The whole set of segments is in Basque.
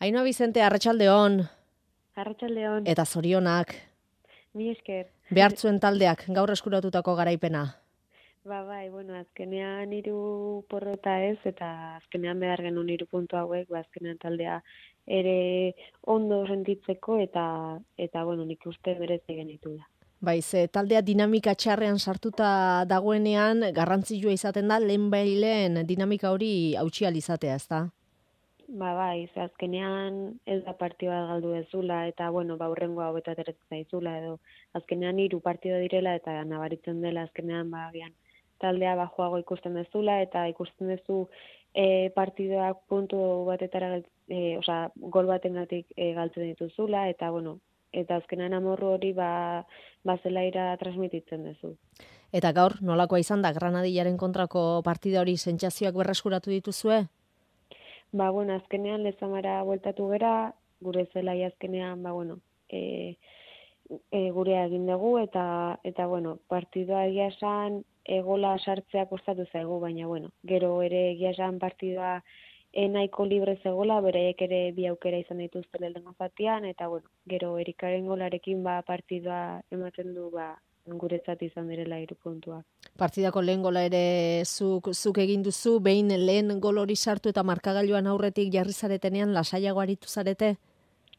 Ainhoa Vicente, arratsaldeon. Arratsaldeon. Eta zorionak. Mila esker. Behartzuen taldeak gaur eskuratutako garaipena. Bai, azkenean 3 porrota ez, eta azkenean behar genuen 3 puntu hauek, azkenean taldea ere ondo sentitzeko eta nik uste merezi genitula. Bai, ze taldea dinamika txarrean sartuta dagoenean garrantzitsua izaten da lehen dinamika hori hautsi ahal izatea, ezta? Bai, ze azkenean ez da partidu bat galdu ezula, eta hurrengo hau eta ateratzen zaizula, edo azkenean 3 partido direla, eta nabaritzen dela azkenean agian taldea joago ikusten dezula, eta ikusten dezu partidoak puntu batetara, gol batengatik galtzen dituzula, eta azkenean amorru hori zelaira transmititzen dezu. Eta gaur, nolakoa izan da Granadillaren kontrako partida hori, sentsazioak berreskuratu dituzue? Azkenean Lezamara bueltatu gera, gure zelai azkenean, gurea egin dugu, eta partidua egia esan, gola sartzea kostatu zaigu, baina gero ere egia esan partidua nahiko libre zegoela, beraiek ere bi aukera izan dituzte lehenengo zatian, eta gero Erikaren golarekin partidua ematen du guretzat izan direla 3 puntuak. Partidako lehen gola ere zuk egin duzu, behin lehen gol hori sartu eta markagailuan aurretik jarri zaretenean lasaiago aritu zarete?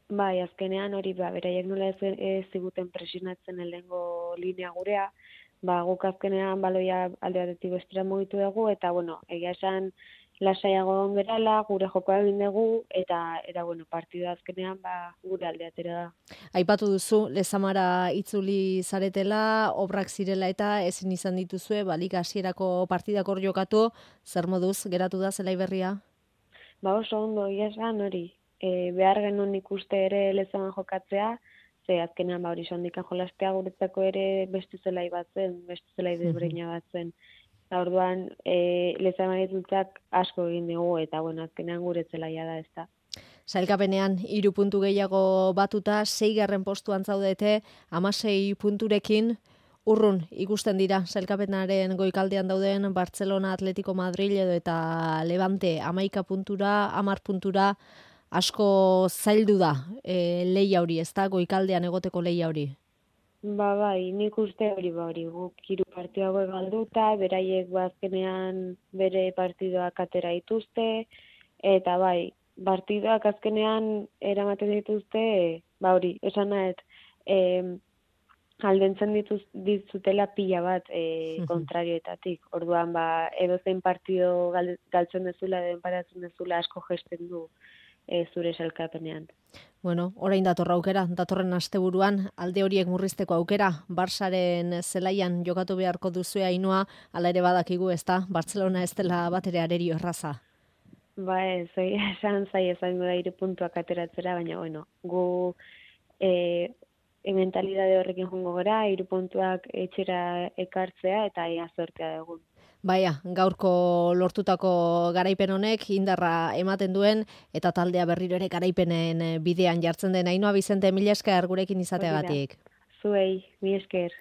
Bai, azkenean hori beraiek nola ez ziguten presionatzen lehenengo linea gurea, guk azkenean baloia alde batetik bestera mugitu dugu, eta egia esan lasaiago ongerala, gure jokoa egin dugu, eta partidua azkenean gure alde atera da. Aipatu duzu, Lezamara itzuli zaretela, obrak zirela eta ezin izan dituzue, liga hasierako partidak hor jokatu, zer moduz geratu da zelai berria? Oso ondo, egia esan hori, behar genuen ikuste ere Lezaman jokatzea, ze azkenean hori sondikan jolastea guretzako ere beste zelai bat zen, beste zelai desberdina bat zen. Orduan, Lezaman itzultzak asko egin dugu, eta azkenean gure zelaia da ez da. Sailkapenean 3 puntu gehiago batuta, 6. postuan zaudete, 16 punturekin, urrun ikusten dira sailkapenaren goikaldean dauden Barcelona, Atletico Madrid edo eta Levante 11 puntura, 10 puntura, asko zaildu da lehia hori, ez da, goikaldean egoteko lehia hori? Bai, nik uste hori, guk 3 partidu hauek galduta, beraiek azkenean bere partidoak atera dituzte, eta partidoak azkenean eramaten dituzte, esan nahet, aldentzen dituztela pila bat kontrarioetatik. Orduan, edozein partido galtzen dezula, edo enparatzen dezula asko gesten du zure sailkapenean. Orain datorren asteburuan, alde horiek murrizteko aukera, Barsaren zelaian jokatu beharko duzue Ainhoa, hala ere badakigu ez da, Barcelona ez dela batere arerio erraza. Esan izango da 3 puntuak ateratzera, baina gu mentalidade horrekin joango gara, 3 puntuak etxera ekartzea eta ia zortea dugu. Gaurko lortutako garaipen honek indarra ematen duen eta taldea berriro ere garaipenen bidean jartzen den. Ainhoa Vicente, mila esker gurekin izateagatik. Zuei, mila esker.